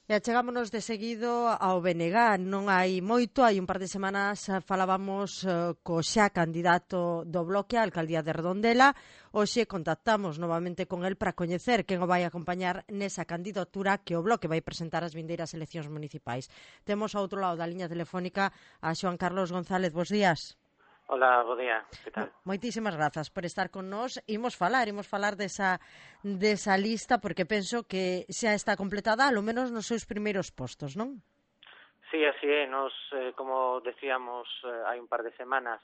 E achegámonos de seguido ao BNG, non hai moito, hai un par de semanas falábamos co xa candidato do Bloque á alcaldía de Redondela. Hoxe contactamos novamente con el para coñecer quen o vai acompañar nesa candidatura que o Bloque vai presentar ás vindeiras eleccións municipais. Temos ao outro lado da liña telefónica a Xoán Carlos González. Bos días. Hola, bo día, que tal? Moitísimas grazas por estar con nós. Imos falar desa lista porque penso que xa está completada, alo menos nos seus primeiros postos, non? Sí, así é. Nos, como decíamos hai un par de semanas,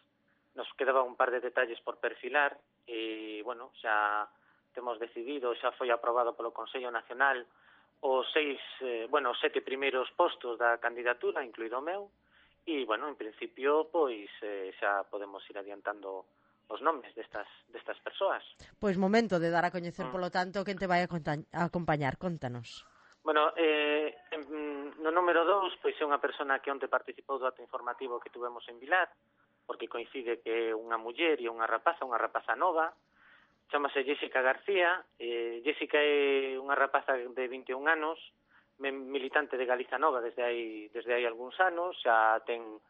nos quedaba un par de detalles por perfilar e, bueno, xa temos decidido, xa foi aprobado polo Consello Nacional os 7 primeiros postos da candidatura, incluído o meu, e, bueno, en principio, pois, xa podemos ir adiantando os nomes destas persoas. Pois momento de dar a coñecer, polo tanto, quen te vai a acompañar. Contanos. Bueno, no número 2, pois é unha persona que onte participou do acto informativo que tuvemos en Vilar, porque coincide que é unha muller e unha rapaza nova, chamase Jessica García. Jessica é unha rapaza de 21 anos, militante de Galiza Nova desde hai algúns anos, xa ten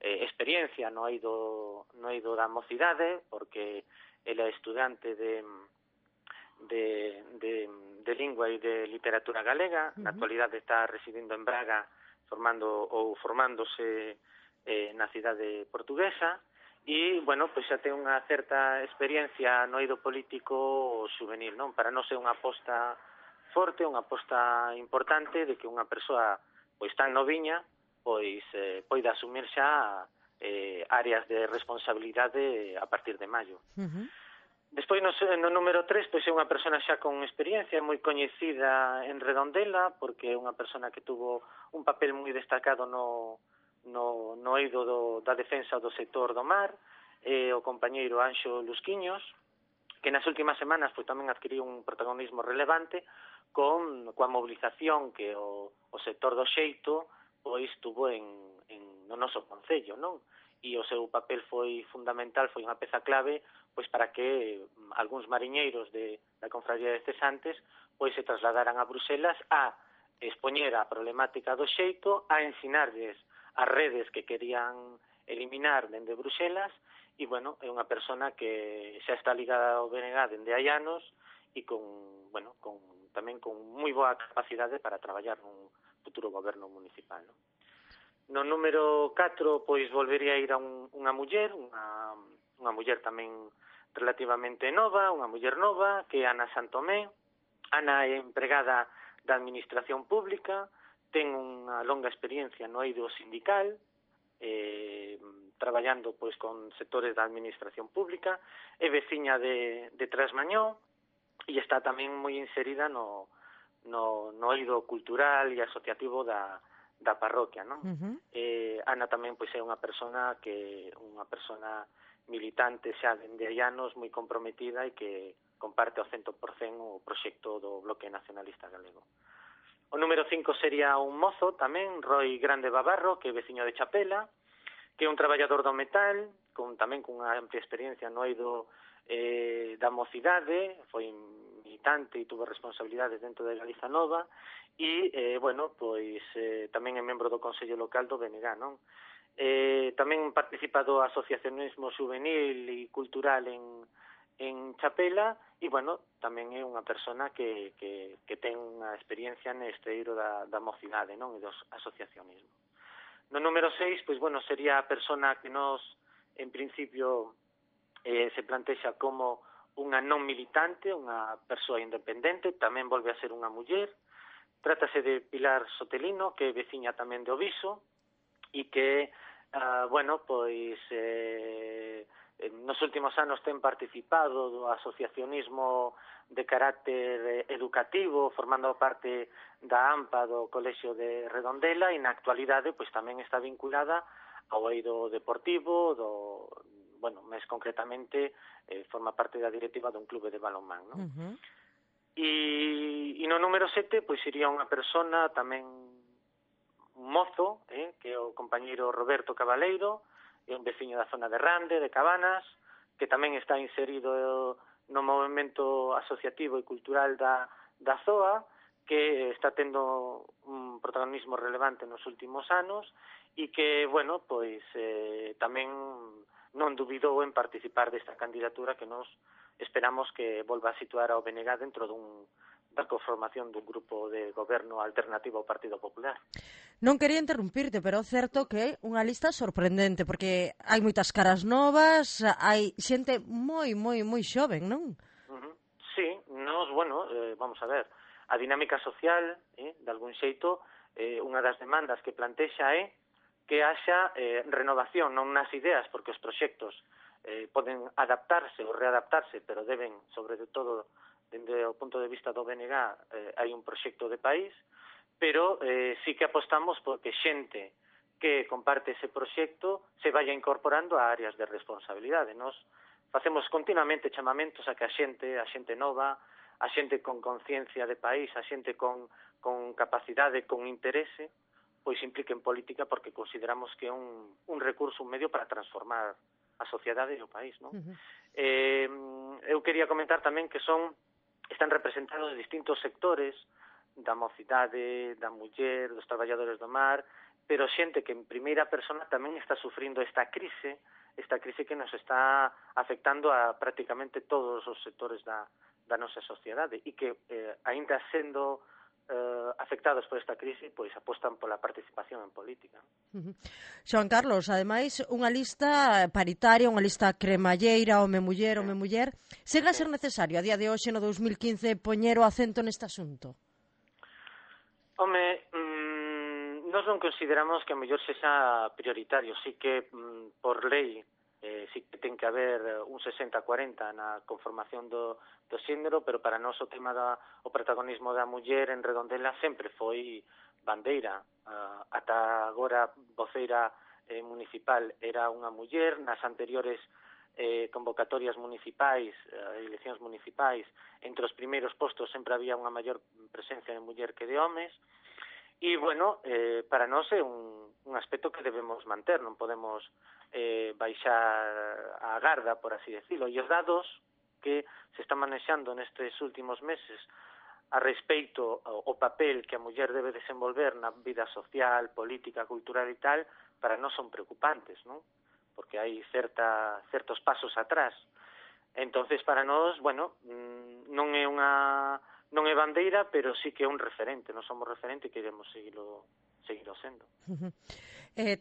experiencia no eido da mocidade, porque ela é estudante de lingua e de literatura galega. Na actualidade está residindo en Braga formándose na cidade portuguesa e, bueno, pois xa ten unha certa experiencia no eido político juvenil, non? Para non ser unha aposta forte, unha aposta importante de que unha persoa pois tan noviña pois poida asumir xa áreas de responsabilidade a partir de maio. Despois, no número 3, pois é unha persona xa con experiencia, moi coñecida en Redondela, porque é unha persona que tuvo un papel moi destacado no eido da defensa do sector do mar, o compañeiro Anxo Lusquiños, que nas últimas semanas pois tamén adquiriu un protagonismo relevante coa mobilización que o sector do xeito pois tuvo no noso concello, non? E o seu papel foi fundamental, foi unha peza clave pois para que algúns mariñeiros da Confraría de Cesantes pois se trasladaran a Bruselas a expoñer a problemática do xeito, a ensinarlles as redes que querían eliminar dende Bruselas. E, bueno, é unha persona que xa está ligada ao BNG dende hai anos e tamén con moi boa capacidade para traballar nun futuro goberno municipal, non? No número 4, pois, volvería a ir a unha muller, unha muller tamén relativamente nova, unha muller nova, que é Ana Santomé. Ana é empregada da Administración Pública, ten unha longa experiencia no eido sindical, traballando pois con sectores da Administración Pública, é veciña de Trasmañó e está tamén moi inserida no eido cultural e asociativo da parroquia, non? Ana tamén pois é unha persona militante xa dende hai anos, moi comprometida e que comparte ao 100% o proxecto do Bloque Nacionalista Galego. O número 5 sería un mozo tamén, Roi Grande Babarro, que é veciño de Chapela, que é un traballador do metal, tamén cunha amplia experiencia no eido da mocidade, foi militante e tuvo responsabilidades dentro de Galiza Nova e, tamén é membro do Consello Local do BNG, non? Tamén participa do asociacionismo juvenil e cultural en Chapela e, tamén é unha persona que ten unha experiencia neste eiro da mocidade, non? E do asociacionismo. No número 6, sería a persona que nos, en principio, se plantexa como unha non militante, unha persoa independente, tamén volve a ser unha muller. Trátase de Pilar Sotelino, que é veciña tamén de Oviso, e que, nos últimos anos ten participado do asociacionismo de carácter educativo, formando parte da AMPA do Colexio de Redondela, e na actualidade tamén está vinculada ao eido deportivo, máis concretamente forma parte da directiva dun clube de balonmán, non? E no número 7, iría unha persona tamén un mozo, que é o compañeiro Roberto Cabaleiro, é un veciño da zona de Rande, de Cabanas, que tamén está inserido no movimento asociativo e cultural da ZOA, que está tendo un protagonismo relevante nos últimos anos e que, bueno, pois tamén non dubidou en participar desta candidatura que nos esperamos que volva a situar ao BNG dentro da conformación dun grupo de goberno alternativo ao Partido Popular. Non quería interrumpirte, pero é certo que é unha lista sorprendente, porque hai moitas caras novas, hai xente moi xoven, non? Sí, nos, bueno, vamos a ver, a dinámica social, de algún xeito, unha das demandas que plantexa é que haxa renovación, non nas ideas, porque os proxectos poden adaptarse ou readaptarse, pero deben, sobre todo, dende o punto de vista do BNG, hai un proxecto de país, pero sí que apostamos porque xente que comparte ese proxecto se vaya incorporando a áreas de responsabilidade. Nos facemos continuamente chamamentos a que a xente nova, a xente con conciencia de país, a xente con capacidade, con interese, pois implique en política porque consideramos que é un recurso, un medio para transformar a sociedade e o país, non? Eu quería comentar tamén que están representados distintos sectores da mocidade, da muller, dos traballadores do mar, pero xente que en primeira persona tamén está sufrindo esta crise que nos está afectando a prácticamente todos os sectores da nosa sociedade e que, aínda sendo afectados por esta crise, pois apostan pola participación en política. Xoan Carlos, ademais, unha lista paritaria, unha lista cremalleira, home-muller, home-muller, segue a ser necesario a día de hoxe no 2015 poñer o acento neste asunto? Home, nós non consideramos que a mellor sexa prioritario, sí que por lei sí que ten que haber un 60-40 na conformación do xénero, pero para nós o tema o protagonismo da muller en Redondela sempre foi bandeira. Ata agora voceira municipal era unha muller, nas anteriores convocatorias municipais, eleccións municipais, entre os primeiros postos sempre había unha maior presencia de muller que de homes, e, bueno, para nós é un aspecto que debemos manter, non podemos baixar a garda, por así decirlo, e os dados que se están manexando nestes últimos meses a respeito ao papel que a muller debe desenvolver na vida social, política, cultural e tal, para nós son preocupantes, non? Porque hai certos pasos atrás. Entonces, para nós, bueno, non é bandeira, pero sí que é un referente, non somos referente e queremos seguirlo sendo.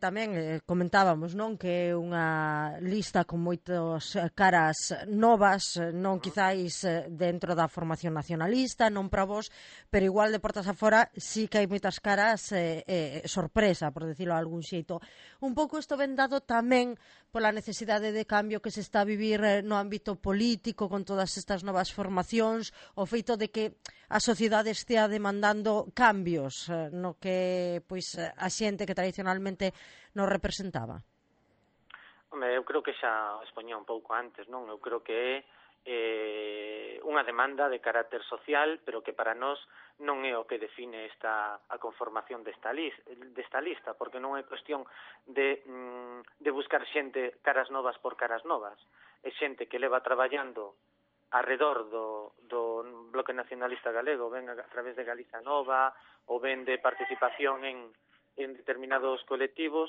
Tamén comentábamos, non, que é unha lista con moitas caras novas, non quizáis dentro da formación nacionalista, non para vos, pero igual de portas afora sí que hai moitas caras sorpresa, por decirlo de algún xeito. Un pouco isto ven dado tamén pola necesidade de cambio que se está a vivir no ámbito político con todas estas novas formacións, o feito de que a sociedade estea demandando cambios no que pois a xente que tradicionalmente nos representaba. Home, eu creo que xa expoñía un pouco antes, non? Eu creo que é unha demanda de carácter social, pero que para nós non é o que define a conformación desta lista, porque non é cuestión de buscar xente caras novas por caras novas. É xente que leva traballando arredor do Bloque Nacionalista Galego, ven a través de Galiza Nova, ou ven de participación en determinados colectivos,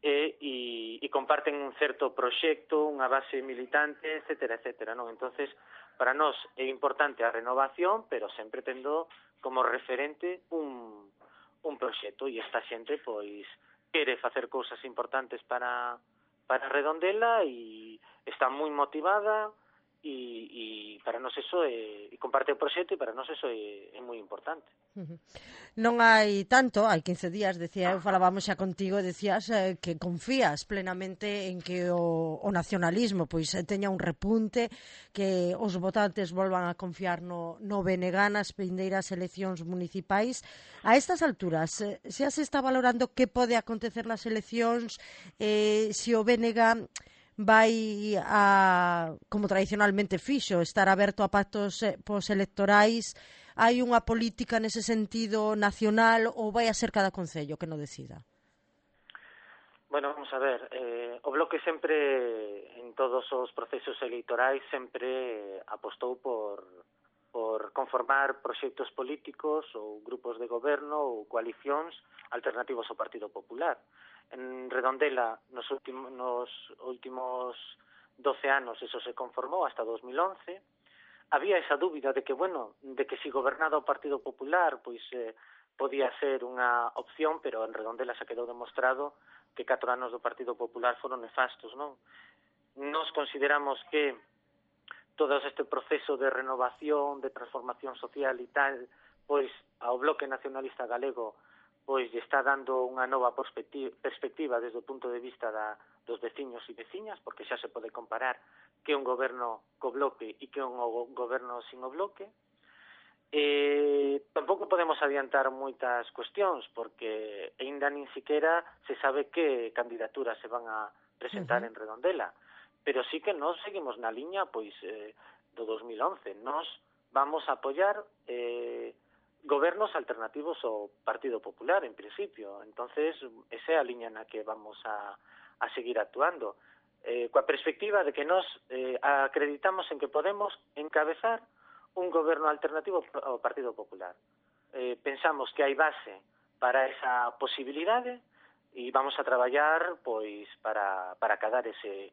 e comparten un certo proxecto, unha base militante, etcétera, non? Entonces, para nós é importante a renovación, pero sempre tendo como referente un proxecto, e esta xente, pois, quere facer cousas importantes para Redondela e está moi motivada, e para nós eso e comparte o proxecto, e para nós eso é moi importante. Non hai tanto, hai 15 días, decía eu, falábamos xa contigo, decías que confías plenamente en que o nacionalismo pois teña un repunte, que os votantes volvan a confiar no BNG nas vindeiras eleccións municipais. A estas alturas, xa se está valorando que pode acontecer nas eleccións, se o BNG vai a, como tradicionalmente fixo, estar aberto a pactos postelectorais. Hai unha política nese sentido nacional ou vai a ser cada concello que non decida? Bueno, vamos a ver, o Bloque sempre, en todos os procesos electorais, sempre apostou por por conformar proxectos políticos ou grupos de goberno ou coalicións alternativos ao Partido Popular. En Redondela, nos últimos 12 anos, eso se conformou hasta 2011. Había esa dúbida de que, si gobernaba o Partido Popular, pois podía ser unha opción, pero en Redondela se quedou demostrado que 4 anos do Partido Popular foron nefastos, non? Nos consideramos que todo este proceso de renovación, de transformación social e tal, pois ao Bloque Nacionalista Galego pois lle está dando unha nova perspectiva desde o punto de vista dos veciños e veciñas, porque xa se pode comparar que un goberno co Bloque e que un goberno sin o Bloque. Tampouco podemos adiantar moitas cuestións, porque aínda nin siquiera se sabe que candidaturas se van a presentar en Redondela, pero sí que nós seguimos na liña do 2011. Nós vamos a apoiar gobernos alternativos ao Partido Popular, en principio. Entonces, esa é a liña na que vamos a seguir actuando, coa perspectiva de que nós acreditamos en que podemos encabezar un goberno alternativo ao Partido Popular. Pensamos que hai base para esa posibilidade e vamos a traballar para acadar ese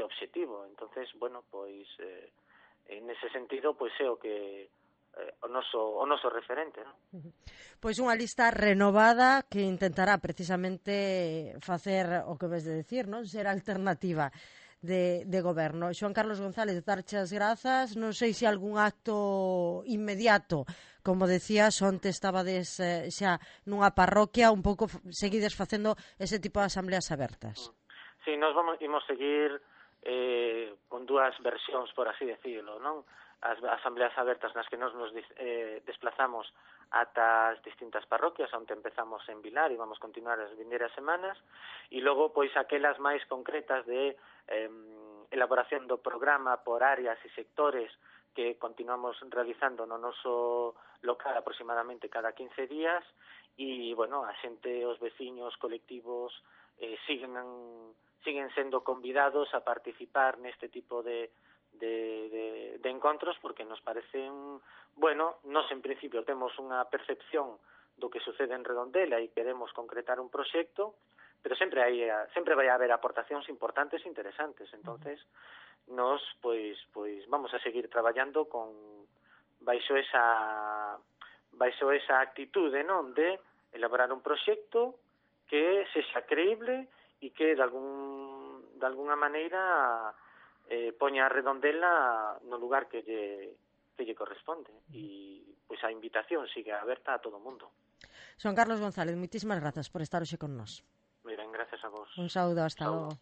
obxectivo. Entonces, en ese sentido, é o que o noso referente, non? Pois unha lista renovada que intentará precisamente facer o que ves de decir, non? Ser alternativa de goberno. Xoan Carlos González, darche as grazas. Non sei se algún acto inmediato, como decías, onte estabades xa nunha parroquia, un pouco seguides facendo ese tipo de asambleas abertas. Sí, nos imos seguir con dúas versións, por así decirlo, non? As asambleas abertas nas que nos desplazamos ata as distintas parroquias, onde empezamos en Vilar e vamos continuar as vindeiras semanas, e logo aquelas máis concretas de elaboración do programa por áreas e sectores que continuamos realizando no noso local aproximadamente cada 15 días, e, a xente, os veciños, colectivos, siguen sendo convidados a participar neste tipo de encontros, porque nos parecen, nos en principio temos unha percepción do que sucede en Redondela e queremos concretar un proxecto, pero sempre vai haber aportacións importantes e interesantes. Entonces, nos vamos a seguir traballando baixo esa actitude, non, de elaborar un proxecto que sexa creíble e que de alguna maneira poña a Redondela no lugar que lle corresponde. E a invitación sigue aberta a todo o mundo. Xoan Carlos González, moitísimas grazas por estar hoxe con nós. Moi ben, gracias a vos. Un saúdo, hasta logo.